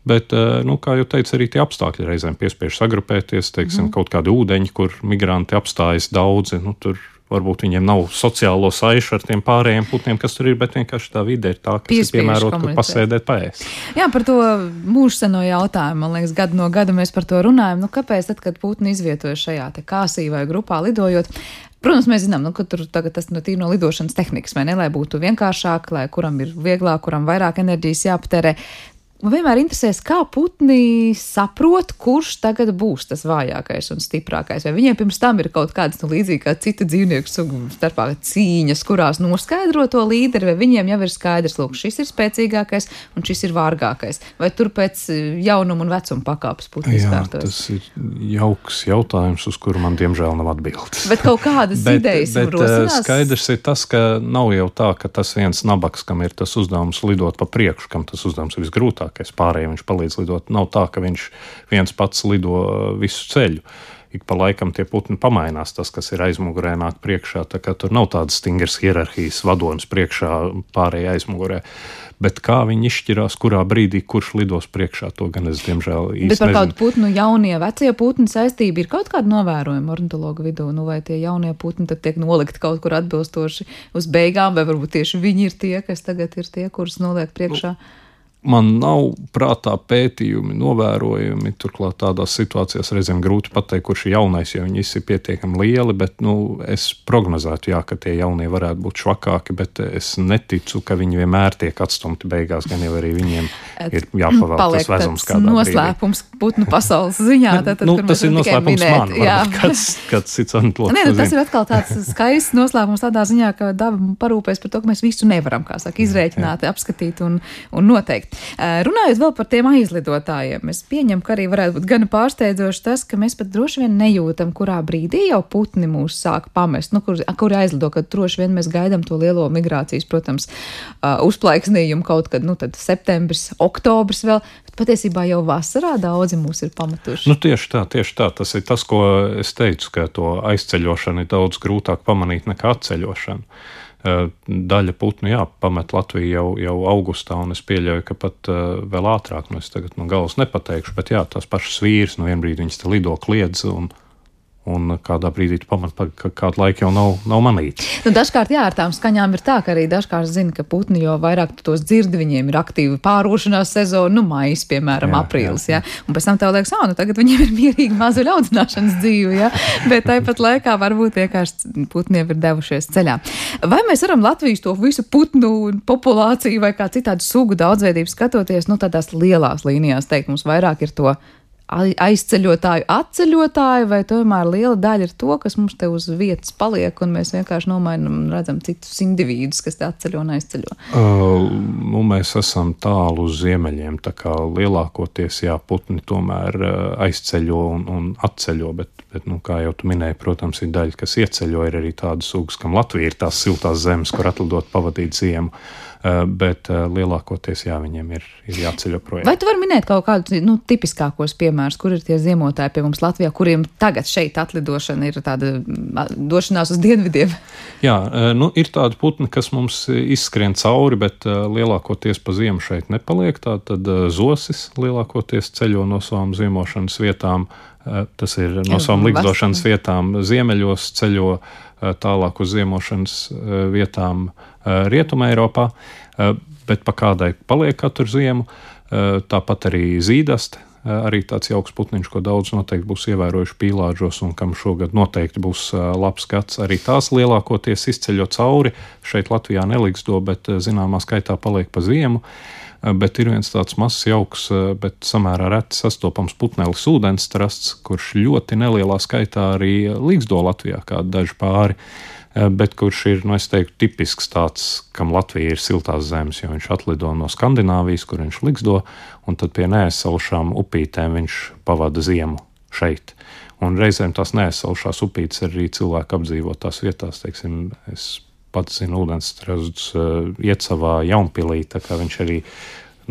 Bet, nu, kā jau teicu, arī tie apstākļi reizēm piespiež sagrupēties, teiksim, mm. kaut kādi ūdeņi, kur migranti apstājas daudzi, nu, tur varbūt viņiem nav sociālo saišu ar tiem pārējiem putniem, kas tur ir, bet vienkārši tā vide ir tā, kas Piespiež ir piemērota, kur pasēdēt paēst. Jā, par to mūžseno jautājumu, man liekas, gadu no gada mēs par to runājam. Nu, kāpēc tad, kad putni izvietojas šajā te kāsī vai grupā lidojot? Protams, mēs zinām, nu, ka tur tagad tas no tīri no lidošanas tehnikas, vai ne, lai būtu vienkāršāk, lai kuram ir vieglāk, kuram vairāk enerģijas jāpatērē. Man vienmēr interesēs, kā putni saprot, kurš tagad būs tas vājākais un stiprākais. Vai viņiem pirms tam ir kaut kādas, nu, līdzīgi kā citu dzīvnieku sugu starpā cīņas, kurās noskaidro to līderi, vai viņiem jau ir skaidrs, lūk, šis ir spēcīgākais un šis ir vārgākais. Vai tur pēc jaunuma un vecuma pakāpes putni izkārtojas? Jā, tas ir jauks jautājums, uz kuru man diemžēl nav atbildes. Bet kaut kādas bet, idejas bet, rosinās? Skaidrs ir tas, ka nav jau tā, ka tas viens nabaks, kam ir tas uzdevums lidot pa priekšu, kam tas uzdevums ir visgrūtāk. Pārējiem viņš palīdz lidot. Nav tā, ka viņš viens pats lido visu ceļu. Ik pa laikam tie putni pamainās, tas, kas ir aizmugurē, nāk priekšā. Tā kā tur nav tādas stingras hierarhijas, vadonis priekšā, pārējie aizmugurē. Bet kā viņi izšķirās, kurā brīdī, kurš lidos priekšā, to gan es, diemžēl, īsti nezinu. Bet par kādu putnu jaunie, vecie putni saistība ir kaut kāda novērojuma ornitologa vidū, nu vai tie jaunie putni tad tiek nolikti kaut kur atbilstoši uz beigām, vai varbūt tieši viņi ir tie, kas tagad ir tie, kurus noliek priekšā? Nu. Man nav prātā pētījumi, novērojumi, turklāt tādās situācijās reizēm grūti pateikt, kurš ir jaunais, jo viņi visi ir pietiekami lieli, bet, nu, es prognozētu, jā, ka tie jaunie varētu būt švakāki, bet es neticu, ka viņi vienmēr tiek atstumti beigās, gan jau arī viņiem ir jāpavēl tas vezums kādā brīdī. Noslēpums putnu pasaules ziņā. Tad, nu, tas ir noslēpums man, varbūt kāds, kāds cits antlūks. Nē, nu, tas ir atkal tāds skaists noslēpums tādā ziņā, ka daba parūpēs par to, ka mēs visu nevaram, kā saka, izrēķināt, jā, jā. apskatīt un, un noteikt. Runājot vēl par tiem aizlidotājiem, es pieņemu, ka arī varētu būt gana pārsteidzoši tas, ka mēs pat droši vien nejūtam, kurā brīdī jau putni mūs sāk pamest, nu, kur, kur aizlido, kad droši vien mēs gaidām to lielo migrācijas, protams, uzplaiksnījumu kaut kad, nu, tad septembris, oktobris vēl, bet patiesībā jau vasarā daudzi mūs ir pametuši. Nu, tieši tā, tieši tā, tas ir tas, ko es teicu, ka to aizceļošanu ir daudz grūtāk pamanīt nekā atceļošanu. Daļa putnu, jā, pamet Latviju jau, jau augustā, un es pieļauju, ka pat uh, vēl ātrāk, nu es tagad no galas nepateikšu, bet jā, tās pašas vīrs, no vienbrīd viņas te lido kliedz, un, un kādā brīdī tu pamat, ka kādu laiku jau nav, nav manīts. Nu, dažkārt, jā, ar tām skaņām ir tā, ka arī dažkārt zina, ka putni, jo vairāk tu tos dzirdi, viņiem ir aktīva pārošanās sezona, nu, maijs, piemēram, jā, aprīlis, jā, jā. jā. Un pēc tam tev liekas, ā, nu, tagad viņiem ir mierīgi mazuļu audzināšanas dzīve, jā, bet tāpat laikā varbūt vienkārši putniem ir devušies ceļā. Vai mēs varam Latvijas to visu putnu populāciju vai kā citādu sugu daudzveidību skatoties, nu, tādās lielās līnijās teikt, mums vairāk ir to aizceļotāju, atceļotāju, vai tomēr liela daļa ir to, kas mums te uz vietas paliek, un mēs vienkārši nomainam un redzam citus individus, kas te atceļo un aizceļo? Uh, nu, mēs esam tālu uz ziemeļiem, tā kā lielākoties, jā, putni tomēr uh, aizceļo un, un atceļo, bet, bet, nu, kā jau tu minēji, protams, ir daļa, kas ieceļo, ir arī tādas sugas, kam Latvija ir tās siltās zemes, kur atlidot pavadīt ziemu. Bet lielākoties, jā, viņiem ir, ir jāceļo projām. Vai tu vari minēt kaut kādus nu, tipiskākos piemērus, kur ir tie ziemotāji pie mums Latvijā, kuriem tagad šeit atlidošana ir tāda došanās uz dienvidiem? Jā, nu, ir tādi putni, kas mums izskrien cauri, bet lielākoties pa ziemu šeit nepaliek. Tātad zosis lielākoties ceļo no savām ziemošanas vietām. Tas ir no savām ligzdošanas vietām ziemeļos, ceļo tālāk uz ziemošanas vietām Rietumē Eiropā, bet pa kādai paliek katru ziemu. Tāpat arī zīdaste, arī tāds jauks putniņš, ko daudz noteikti būs ievērojuši pīlāžos un kam šogad noteikti būs labs gads. Arī tās lielākoties izceļo cauri. Šeit Latvijā neligzdo, bet zināmā skaitā paliek pa ziemu. Bet ir viens tāds mazs jauks, bet samērā reti sastopams putnelis ūdensstrasts, kurš ļoti nelielā skaitā arī ligzdo Latvijā, kādi daži pāri, bet kurš ir, nu es teiktu, tipisks tāds, kam Latvija ir siltās zemes, jo viņš atlido no Skandināvijas, kur viņš ligzdo, un tad pie neaizsalšām upītēm viņš pavada ziemu šeit. Un reizēm tās neaizsalšās upītes arī cilvēku apdzīvotās vietās, teiksim, es pats zinu ūdensstrazdus uh, iet savā Jaunpilī, tā kā viņš arī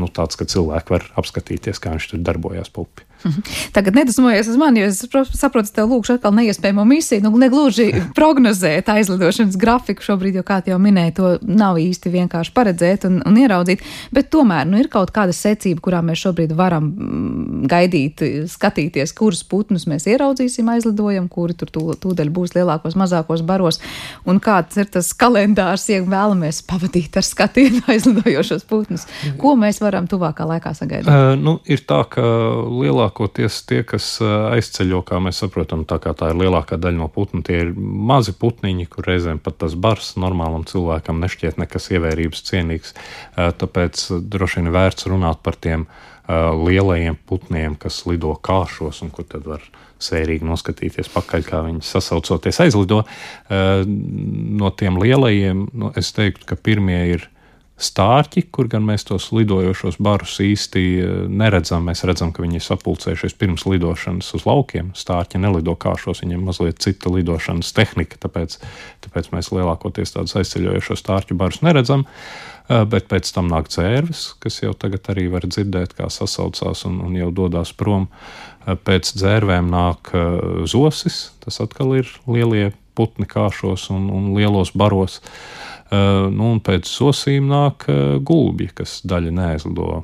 nu, tāds, ka cilvēki var apskatīties, kā viņš tur darbojās pa upi. Tagad nedusmojies uz mani, jo es saprotu, tev lūkšu atkal neiespējamo misiju, nu negluži prognozēt aizlidošanas grafiku šobrīd, jo kā jau minēja, to nav īsti vienkārši paredzēt un, un ieraudzīt, bet tomēr, nu ir kaut kāda secība, kurā mēs šobrīd varam gaidīt, skatīties, kurus putnus mēs ieraudzīsim aizlidojam, kuri tur tū, tūdaļ būs lielākos, mazākos baros, un kāds ir tas kalendārs, ja vēlamies pavadīt ar skatienu aizlidojošos putnus. Ko mēs varam tuvākā laikā sagaidīt? Uh, nu, ir tā, ka lielākos tie, kas aizceļo, kā mēs saprotam, tā kā tā ir lielākā daļa no putnu, tie ir mazi putniņi, kur reizēm pat tas bars normālam cilvēkam nešķiet nekas ievērības cienīgs. Tāpēc droši vien vērts runāt par tiem lielajiem putniem, kas lido kāšos un kur tad var sērīgi noskatīties pakaļ, kā viņi sasaucoties aizlido. No tiem lielajiem, nu, es teiktu, ka pirmie ir stārķi, kur gan mēs tos lidojošos barus īsti neredzam. Mēs redzam, ka viņi ir sapulcējušies pirms lidošanas uz laukiem. Stārķi nelido kāšos, viņiem mazliet cita lidošanas tehnika, tāpēc, tāpēc mēs lielākoties tādus aizceļojošos stārķu barus neredzam. Bet pēc tam nāk dzērves, kas jau tagad arī var dzirdēt, kā sasaucās un, un jau dodās prom. Pēc dzērvēm nāk zosis, tas atkal ir lielie putni kāšos un, un lielos baros. Uh, nu, un pēc zosīm nāk uh, gulbji, kas daļa neaizlido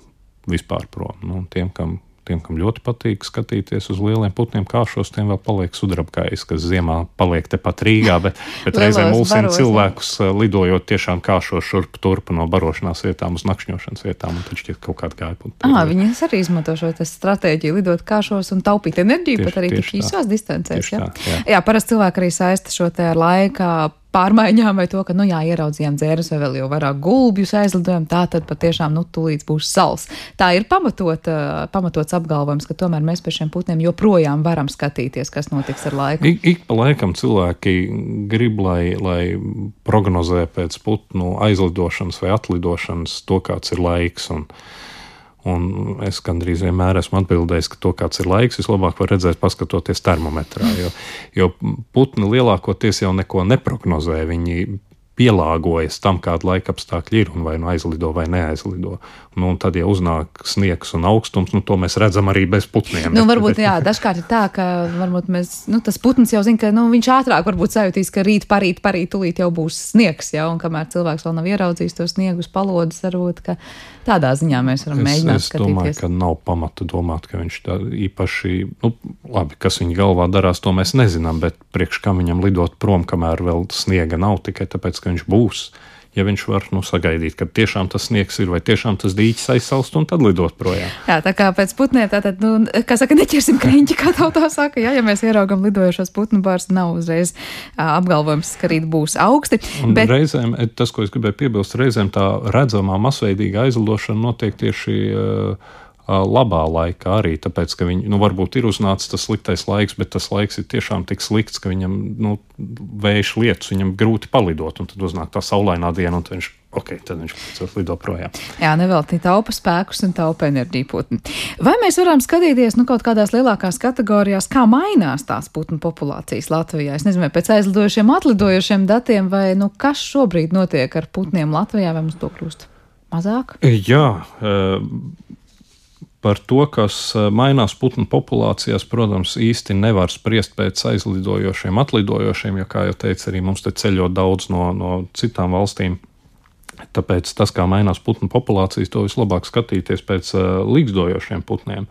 vispār prom. Nu, tiem, kam, tiem, kam ļoti patīk skatīties uz lieliem putniem kāšos, tiem vēl paliek sudrabkājs, kas ziemā paliek tepat Rīgā, bet, bet reizēm mulsina cilvēkus uh, lidojot tiešām kāšos šurp turpu no barošanās vietām uz nakšņošanas vietām, un tad šķiet kaut kāda gājputni. Ā, viņi arī izmanto šo stratēģiju lidot kāšos un taupīt enerģiju, tieši, pat arī tik īsās distancēs. Jā, jā. jā parasti cilvēki arī saista šo te ar laikā pārmaiņām vai to, ka, nu jā, ieraudzījām dzērus vai vēl jau vairāk gulbjus aizlidojam, tā tad patiešām, nu, tūlīt būs sals. Tā ir pamatot, pamatots apgalvojums, ka tomēr mēs pie šiem putniem joprojām varam skatīties, kas notiks ar laiku. Ik, ik pa laikam cilvēki grib, lai, lai prognozē pēc putnu aizlidošanas vai atlidošanas to, kāds ir laiks, un Un es gandrīz vienmēr esmu atbildējis, ka to, kāds ir laiks, vislabāk var redzēt, paskatoties termometrā, jo, jo putni lielākoties jau neko neprognozē, viņi pielāgojas tam, kāda laika apstākļi ir un vai nu aizlido vai neaizlido. Nu, un tad, ja uznāk sniegs un augstums, nu, to mēs redzam arī bez putniem. Nu, varbūt, jā, dažkārt ir tā, ka varbūt mēs, nu, tas putns jau zina, ka, nu, viņš ātrāk varbūt sajūtīs, ka rīt, parīt, parīt, tulīt jau būs sniegs, jā, un kamēr cilvēks vēl nav ieraudzījis to sniegu uz palodas, varbūt, ka tādā ziņā mēs varam es, mēģināt es skatīties. Es domāju, ka nav pamata domāt, ka viņš tā īpaši, nu, labi, kas viņa galvā darās, to mēs nezinām, bet priekš kam viņam lidot prom, kamēr vēl sniega nav, tikai tāpēc, ka viņš būs. Ja viņš var, nu, sagaidīt, kad tiešām tas sniegs ir vai tiešām tas dīķis aizsalst un tad lidot projām. Jā, tā kā pēc putniem, tātad, nu, kā saka, neķersim kreņķi, kā tautā saka, jā, ja mēs ieraugam lidojošos putnu bārs, nav uzreiz uh, apgalvojums, ka rīt būs augsti. Un bet... reizēm, tas, ko es gribēju piebilst, reizēm tā redzamā masveidīga aizlidošana notiek tieši uh, labā laikā arī, tāpēc, ka viņi, nu, varbūt ir uznācis tas sliktais laiks, bet tas laiks ir tiešām tik slikts, ka viņam, nu, vējš lietus, viņam grūti palidot, un tad uznāk tā saulainā diena, un tad viņš, ok, tad viņš lido projām. Jā, nevelti taupa spēkus un taupa enerģiju putni. Vai mēs varam skatīties, nu, kaut kādās lielākās kategorijās, kā mainās tās putnu populācijas Latvijā? Es nezinu, vai pēc aizlidojušiem, atlidojušiem datiem, vai, nu, kas šobrīd notiek ar putniem Latvijā, vai mums to kļūst mazāk? Jā, par to, kas mainās putnu populācijās, protams, īsti nevar spriest pēc aizlidojošiem, atlidojošiem, jo, kā jau teicu, arī mums te ceļo daudz no, no citām valstīm. Tāpēc tas, kā mainās putnu populācijas, to vislabāk skatīties pēc uh, līgzdojošiem putniem.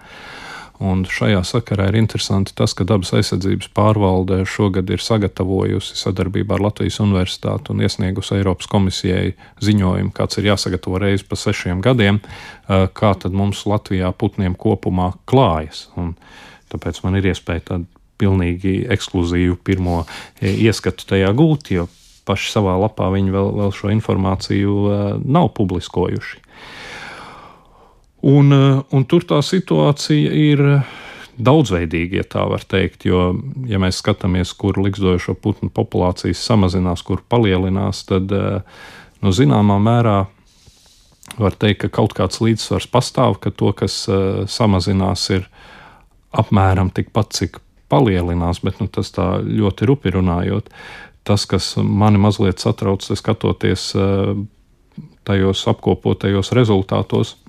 Un šajā sakarā ir interesanti tas, ka Dabas aizsardzības pārvalde šogad ir sagatavojusi sadarbībā ar Latvijas Universitāti un iesniegusi Eiropas komisijai ziņojumu, kāds ir jāsagatavo reizi pa sešiem gadiem, kā tad mums Latvijā putniem kopumā klājas. Un tāpēc man ir iespēja tādu pilnīgi ekskluzīvu pirmo ieskatu tajā gūt, jo paši savā lapā viņi vēl, vēl šo informāciju nav publiskojuši. Un, un tur tā situācija ir daudzveidīga, ja tā var teikt, jo, ja mēs skatāmies, kur ligzdojošo putnu populācijas samazinās, kur palielinās, tad, nu, zināmā mērā var teikt, ka kaut kāds līdzsvars pastāv, ka to, kas samazinās, ir apmēram tikpat, cik palielinās, bet, nu, tas tā ļoti rupi runājot. Tas, kas mani mazliet satrauc, skatoties tajos apkopotajos rezultātos,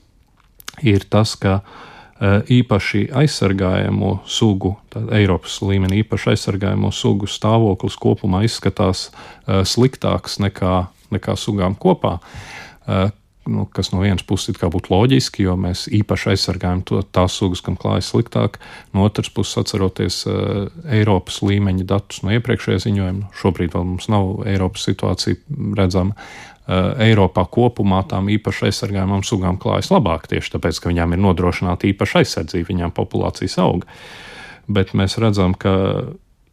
ir tas, ka īpaši aizsargājamo sugu, Eiropas līmenī īpaši aizsargājamo sugu stāvoklis kopumā izskatās sliktāks nekā, nekā sugām kopā, nu, kas no vienas puses it kā būtu loģiski, jo mēs īpaši aizsargājam to, tās sugas, kam klājas sliktāk. No otras puses, atceroties Eiropas līmeņa datus no iepriekšējā ziņojuma, šobrīd vēl mums nav Eiropas situācija redzama, Eiropā kopumā tām īpaši aizsargājumām sugām klājas labāk, tieši tāpēc, ka viņām ir nodrošināta īpaša aizsardzība, viņām populācijas auga. Bet mēs redzam, ka,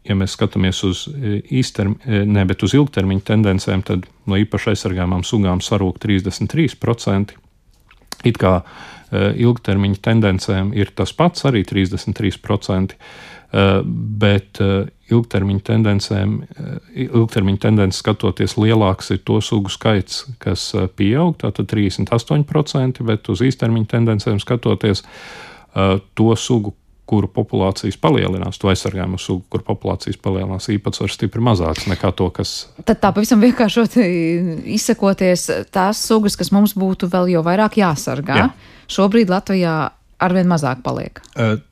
ja mēs skatāmies uz īstermiņa, ne, bet uz ilgtermiņa tendencēm, tad no īpaši aizsargājumām sugām sarūk trīsdesmit trīs procenti. It kā ilgtermiņa tendencēm ir tas pats, arī trīsdesmit trīs procenti, bet ilgtermiņa tendencēm, ilgtermiņa tendences skatoties lielāks ir to sugu skaits, kas pieaug, tātad trīsdesmit astoņi procenti, bet uz īstermiņa tendencēm skatoties to sugu, kuru populācijas palielinās, to aizsargājumu sugu, kuru populācijas palielinās, īpatsvars stipri mazāks nekā to, kas... Tad tā pavisam vienkāršot izsakoties, tās sugas, kas mums būtu vēl jau vairāk jāsargā, Jā. Šobrīd Latvijā arvien mazāk paliek.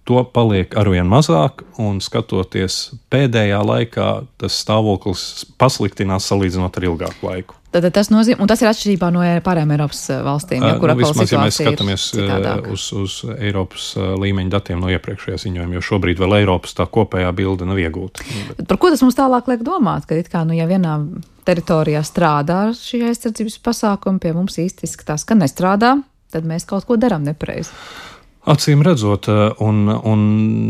To paliek arvien mazāk, un skatoties pēdējā laikā, tas stāvoklis pasliktinās salīdzinot ar ilgāku laiku. Tad tas nozīmē, un tas ir atšķirībā no pārējām Eiropas valstīm, ja, kur nu, atkal vismaz, situācija ja mēs skatāmies citādāk. uz, uz Eiropas līmeņa datiem no iepriekšējā ziņojuma, jo šobrīd vēl Eiropas tā kopējā bilde nav iegūta. Par ko tas mums tālāk liek domāt, ka it kā, nu, ja vienā teritorijā strādā šī aizsardzības pasākuma, pie mums īsti izskatās, ka nestrādā, tad mēs kaut ko darām nepareizi. Acīm redzot, un, un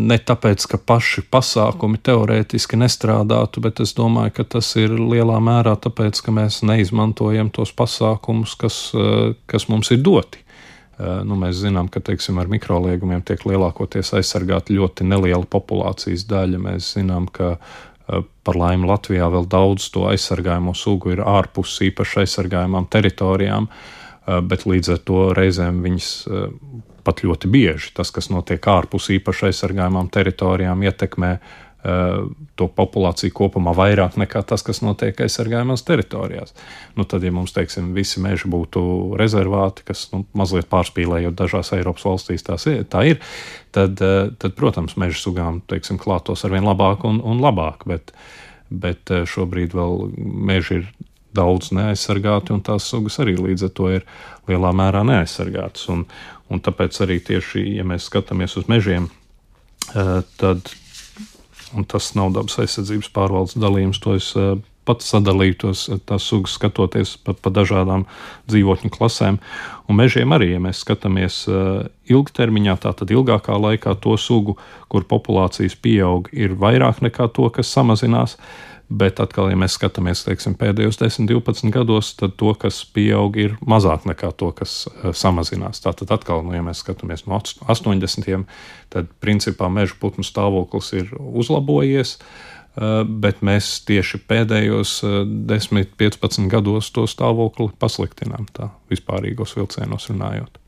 ne tāpēc, ka paši pasākumi teorētiski nestrādātu, bet es domāju, ka tas ir lielā mērā tāpēc, ka mēs neizmantojam tos pasākumus, kas, kas mums ir doti. Nu, mēs zinām, ka, teiksim, ar mikroliegumiem tiek lielākoties aizsargāta ļoti neliela populācijas daļa. Mēs zinām, ka par laimi Latvijā vēl daudz to aizsargājumu sugu ir ārpus īpaši aizsargājumām teritorijām, bet līdz ar to reizēm viņas pat ļoti bieži. Tas, kas notiek ārpus īpaši aizsargājumām teritorijām, ietekmē uh, to populāciju kopumā vairāk nekā tas, kas notiek aizsargājumās teritorijās. Nu, tad, ja mums, teiksim, visi meži būtu rezervāti, kas, nu, mazliet pārspīlējot dažās Eiropas valstīs tās, tā ir, tad, uh, tad, protams, meža sugām, teiksim, klātos arvien labāk un, un labāk, bet, bet šobrīd vēl meži ir daudz neaizsargāti, un tās sugas arī līdz ar to ir lielā mērā neaizsargātas. Un, un tāpēc arī tieši, ja mēs skatāmies uz mežiem, tad, un tas nav Dabas aizsardzības pārvaldes dalījums, to es pats sadalīju tos, tās sugas, skatoties pa, pa dažādām dzīvotņu klasēm. Un mežiem arī, ja mēs skatāmies ilgtermiņā, tātad ilgākā laikā to sugu, kur populācijas pieaug, ir vairāk nekā to, kas samazinās. Bet atkal, ja mēs skatāmies, teiksim, pēdējos desmit, divpadsmit gados, tad to, kas pieaug, ir mazāk nekā to, kas uh, samazinās. Tātad atkal, nu, ja mēs skatāmies no astoņdesmitiem, tad principā meža putnu stāvoklis ir uzlabojies, uh, bet mēs tieši pēdējos uh, desmit, piecpadsmit gados to stāvokli pasliktinām, tā vispārīgos vilcienos runājot.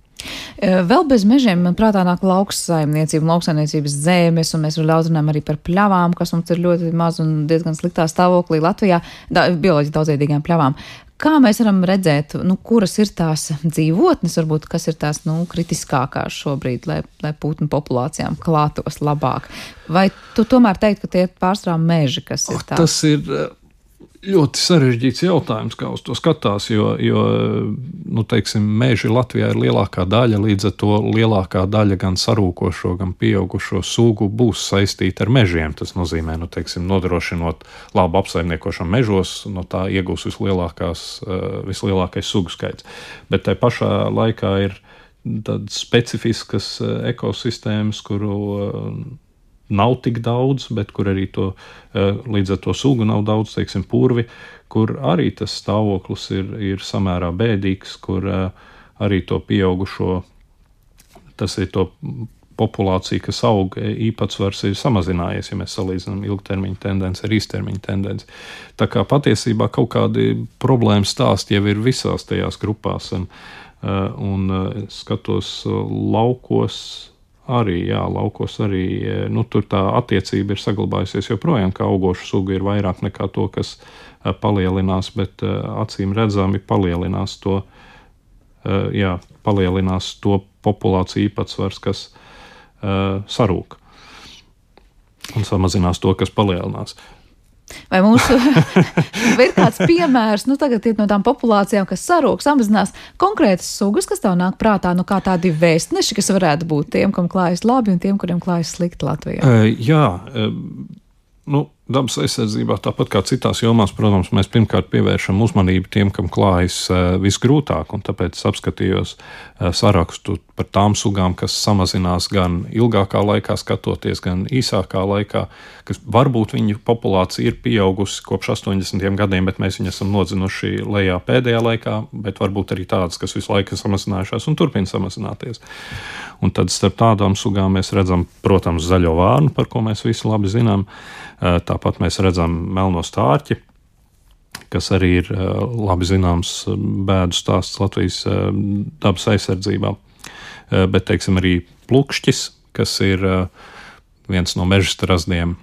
Vēl bez mežiem, man prātā nāk lauksaimniecība, lauksaimniecības zemes, un mēs daudz runājam arī par pļavām, kas mums ir ļoti maz un diezgan sliktā stāvoklī Latvijā, da, bioloģiski daudzveidīgām pļavām. Kā mēs varam redzēt, nu, kuras ir tās dzīvotnes, varbūt, kas ir tās, nu, kritiskākās šobrīd, lai, lai putnu populācijām klātos labāk? Vai tu tomēr teikt, ka tie ir pārsvarā meži, kas ir tās? Tas ir ļoti sarežģīts jautājums, kā uz to skatās, jo, jo nu, teiksim, meži Latvijā ir lielākā daļa, līdz ar to lielākā daļa gan sarūkošo, gan pieaugušo sugu būs saistīta ar mežiem. Tas nozīmē, nu, teiksim, nodrošinot labu apsaimniekošanu mežos, no tā iegūs vislielākās, vislielākais sugu skaits. Bet tai pašā laikā ir tādas specifiskas ekosistēmas, kuru nav tik daudz, bet kur arī to, līdz ar to sugu nav daudz, teiksim, purvi, kur arī tas stāvoklis ir, ir samērā bēdīgs, kur arī to pieaugušo, tas ir to populācija, kas aug, īpatsvars ir samazinājies, ja mēs salīdzinām ilgtermiņa tendenci ar īstermiņa tendenci. Tā kā patiesībā kaut kādi problēmas stāsti jau ir visās tajās grupās, un, un skatos laukos, Arī, jā, laukos arī, nu, tur tā attiecība ir saglabājusies joprojām, ka augošu sugu ir vairāk nekā to, kas palielinās, bet acīm redzami palielinās to, jā, palielinās to populāciju īpatsvars, kas uh, sarūk, un samazinās to, kas palielinās. Vai mūsu ir kāds piemērs, nu tagad ir no tām populācijām, kas sarūk, samazinās konkrētas sugas, kas tev nāk prātā, nu kā tādi vēstneši, kas varētu būt tiem, kam klājas labi un tiem, kuriem klājas slikti Latvijā? Uh, jā, uh, nu, dabas aizsardzībā, tāpat kā citās jomās, protams, mēs pirmkārt pievēršam uzmanību tiem, kam klājas uh, visgrūtāk, un tāpēc apskatījos uh, sarakstu par tām sugām, kas samazinās gan ilgākā laikā skatoties, gan īsākā laikā, kas varbūt viņu populācija ir pieaugusi kopš astoņdesmitiem gadiem, bet mēs viņu esam nodzinuši lejā pēdējā laikā, bet varbūt arī tādas, kas visu laiku ir samazinājušās un turpina samazināties. Un tad starp tādām sugām mēs redzam, protams, zaļo vārnu, par ko mēs visi labi zinām. Tāpat mēs redzam melno stārķi, kas arī ir labi zināms bēdu stāsts Latvijas dabas aizsardzībā. Bet, teiksim, arī plukšķis, kas ir viens no meža strazdiem,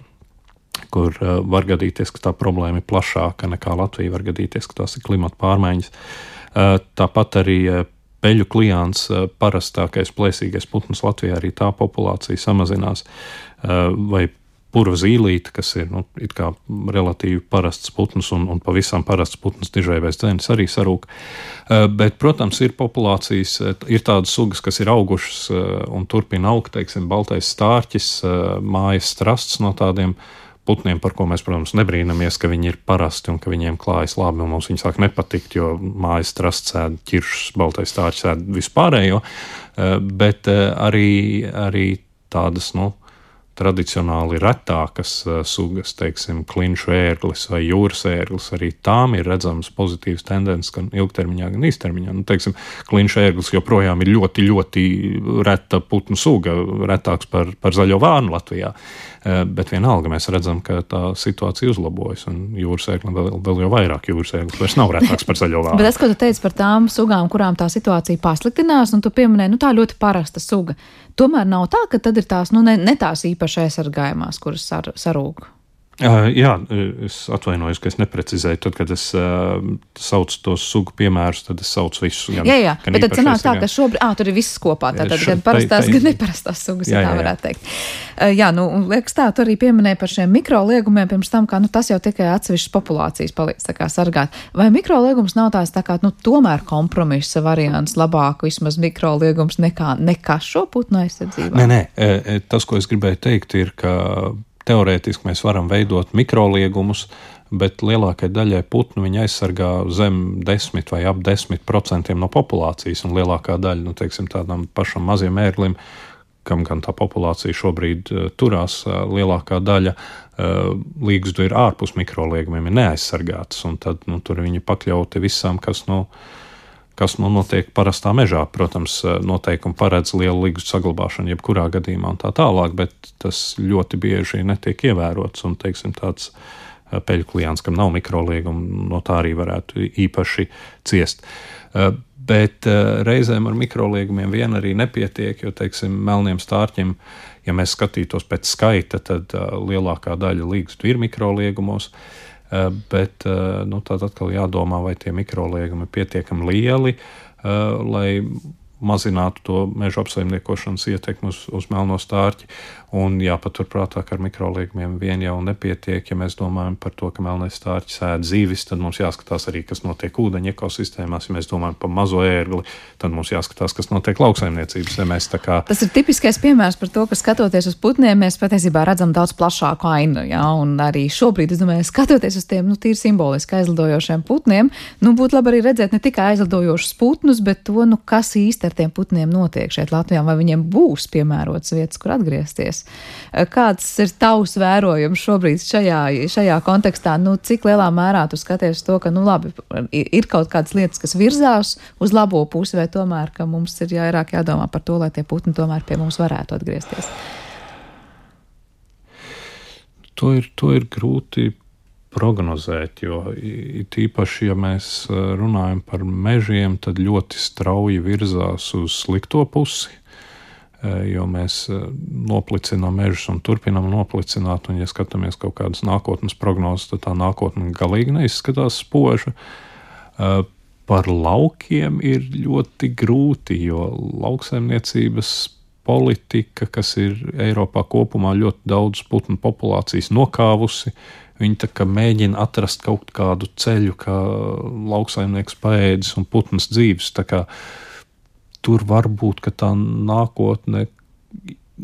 kur var gadīties, ka tā problēma ir plašāka nekā Latvija, var gadīties, ka tās ir klimata pārmaiņas. Tāpat arī peļu kliāns, parastākais plēsīgais putns Latvijā, arī tā populācija samazinās, vai purva zīlīte, kas ir, nu, it kā relatīvi parasts putns un, un pavisam parasts putns dižaivais dzenis arī sarūk. Bet, protams, ir populācijas, ir tādas sugas, kas ir augušas un turpina augt, teiksim, baltais stārķis, mājas strasts no tādiem putniem, par ko mēs, protams, nebrīnamies, ka viņi ir parasti un ka viņiem klājas labi, un mums viņi sāk nepatikt, jo mājas strasts ēd ķiršus, baltais stārķis ēd vispārējo, bet arī, arī tādas, nu, tradicionāli retākas uh, sugas, teiksim, klinšu ērglis vai jūras ērglis, arī tām ir redzams pozitīvs tendences gan ilgtermiņā, gan īstermiņā. Nu, teiksim, klinšu ērglis joprojām ir ļoti, ļoti reta putnu suga, retāks par, par zaļo vārnu Latvijā, uh, bet vienalga mēs redzam, ka tā situācija uzlabojas, un jūras ērglis vēl, vēl jau vairāk jūras ērglis vairs nav retāks par zaļo vārnu. Bet es, ko tu teici par tām sugām, kurām tā situācija pasliktinās, un tu pieminēji, nu tā ļoti parasta suga. Tomēr nav tā, ka tad ir tās, nu, ne, ne tās īpaši aizsargājumās, kuras sar, sarūk. Uh, jā, es atvainojos, ka es neprecizēju. Tad, kad es uh, saucu tos sugu piemērus, tad es saucu visus. Gan, jā, jā, gan bet tad sanāk tā, ka šobrīd, ā, tur ir viss kopā, tātad gan parastās, gan neparastās sugas, jā, ja tā varētu teikt. Uh, jā, nu, liekas tā, tu arī pieminēji par šiem mikroliegumiem pirms tam, kā, nu, tas jau tikai atsevišķas populācijas palīdz tā kā sargāt. Vai mikroliegums nav tās tā kā, nu, tomēr kompromisa variants, labāk vismaz mikroliegums nekā, nekā šo putnu aizsardzībā? Nē, nē, tas, ko es gribēju teikt, ir, ka teorētiski mēs varam veidot mikroliegumus, bet lielākai daļai putnu viņi aizsargā zem desmit vai ap desmit procentiem no populācijas, un lielākā daļa, nu, teiksim, tādam pašam maziem ērglim, kam gan tā populācija šobrīd uh, turās, uh, lielākā daļa uh, līgzdu ir ārpus mikroliegumiem, ir neaizsargātas, un tad, nu, tur viņi pakļauti visam, kas, nu, kas nu, notiek parastā mežā. Protams, noteikumi paredz lielu līgstu saglabāšanu jebkurā gadījumā un tā tālāk, bet tas ļoti bieži netiek ievērots, un, teiksim, tāds peļu klients, kam nav mikrolieguma, no tā arī varētu īpaši ciest. Bet reizēm ar mikroliegumiem vien arī nepietiek, jo, teiksim, melniem stārķim, ja mēs skatītos pēc skaita, tad lielākā daļa līgstu ir mikroliegumos, bet nu, tad atkal jādomā, vai tie mikroliegumi ir pietiekami lieli, lai mazinātu to meža apsaimniekošanas ietekmi uz, uz melno stārķi. Un jāpaturprātā, ka ar mikroliegumiem vien jau nepietiek. Ja mēs domājam par to, ka melnais stārķis ēd zīvis, tad mums jāskatās arī, kas notiek ūdeņa ekosistēmās. Ja mēs domājam par mazo ērgli, tad mums jāskatās, kas notiek lauksaimniecības zemēs. Kā... Tas ir tipiskais piemērs par to, ka skatoties uz putniem, mēs patiesībā redzam daudz plašāku ainu. Ja? Un arī šobrīd, es domāju, skatoties uz tiem, nu, tīri simboliski aizlidojošiem putniem, nu, būtu labi arī redzēt ne tikai aizlidojošus putnus, bet to, nu, kas īsti ar tiem putniem notiek šeit Latvijā, vai viņiem būs piemērotas vietas, kur atgriezties. Kāds ir tavs vērojums šobrīd šajā, šajā kontekstā? Nu, cik lielā mērā tu skaties to, ka, nu, labi, ir kaut kādas lietas, kas virzās uz labo pusi, vai tomēr, ka mums ir vairāk jādomā par to, lai tie putni tomēr pie mums varētu atgriezties? To ir, to ir grūti prognozēt, jo tīpaši, ja mēs runājam par mežiem, tad ļoti strauji virzās uz slikto pusi, jo mēs noplicinām mežus un turpinām noplicināt, un ja skatāmies kaut kādas nākotnes prognozes, tad tā nākotne galīgi neizskatās spoža. Par laukiem ir ļoti grūti, jo lauksaimniecības politika, kas ir Eiropā kopumā ļoti daudz putnu populācijas nokāvusi, viņi tā kā mēģina atrast kaut kādu ceļu, kā lauksaimnieks paēdis un putnas dzīves. Tā kā tur varbūt, ka tā nākotne,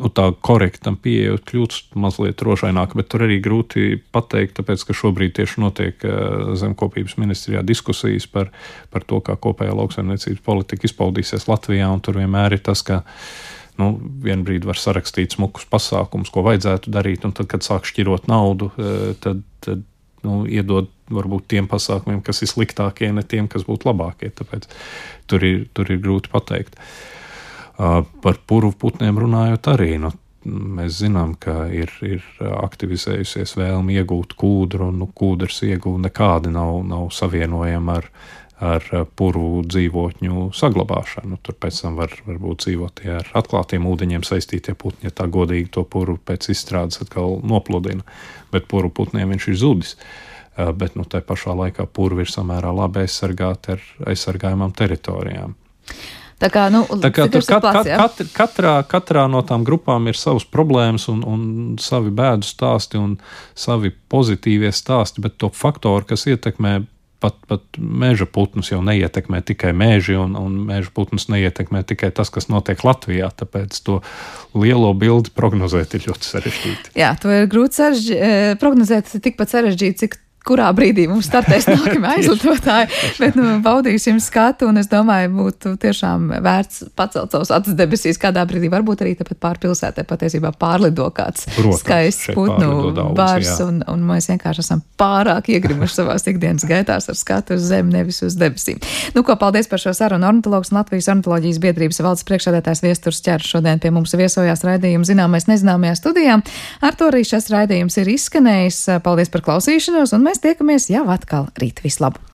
nu tā korektam pieejot, kļūst mazliet rožaināka, bet tur arī grūti pateikt, tāpēc, ka šobrīd tieši notiek Zemkopības ministrijā diskusijas par, par to, kā kopējā lauksaimniecības politika izpaudīsies Latvijā, un tur vienmēr ir tas, ka nu, vienbrīd var sarakstīt smukus pasākumus, ko vajadzētu darīt, un tad, kad sāk šķirot naudu, tad, tad nu, iedod varbūt tiem pasākumiem, kas ir sliktākie, ne tiem, kas būtu labākie. Tāpēc tur ir, tur ir grūti pateikt. Uh, par purvu putniem runājot arī, nu, mēs zinām, ka ir, ir aktivizējusies vēlme iegūt kūdru, un nu, kūdras ieguva nekādi nav, nav savienojama ar ar purvu dzīvotņu saglabāšanu. Tur pēc tam var, var būt dzīvotie ar atklātiem ūdeņiem saistītie putni, ja tā godīgi to purvu pēc izstrādes atkal nopludina. Bet purvu putniem viņš ir zudis. Bet nu, tai pašā laikā purvi ir samērā labi aizsargāti ar aizsargājumām teritorijām. Tā kā, nu, tā kā tur kat, kat, kat, katrā, katrā no tām grupām ir savas problēmas un, un savi bēdu stāsti un savi pozitīvie stāsti, bet to faktoru, kas ietekmē Pat, pat meža putnus jau neietekmē tikai meži, un, un meža putnus neietekmē tikai tas, kas notiek Latvijā, tāpēc to lielo bildi prognozēt ir ļoti sarežģīti. Jā, to ir grūti sarežģi, prognozēt tikpat sarežģīti, cik kurā brīdī mums startēs nākamie aizlidotāji, bet nu, baudīsim skatu, un es domāju, būtu tiešām vērts pacelt savus acis debesīs kādā brīdī, varbūt arī tāpat pār pilsētē patiesībā pārlido kāds Protams, skaists putnu bars, un, un mēs vienkārši esam pārāk iegrimuši savās ikdienas gaitās ar skatu uz zemi, nevis uz debesīm. Nu ko, paldies par šo sarunu. Ornitologs un Latvijas ornitoloģijas biedrības valdes priekšsēdētājs Viesturs Ķers šodien pie mums viesojās raidījuma Zināmais nezināmajā studijā. Ar to arī šis raidījums ir izskanējis. Paldies par klausīšanos, un mēs tiekamies jau atkal rīt. Vislabāk!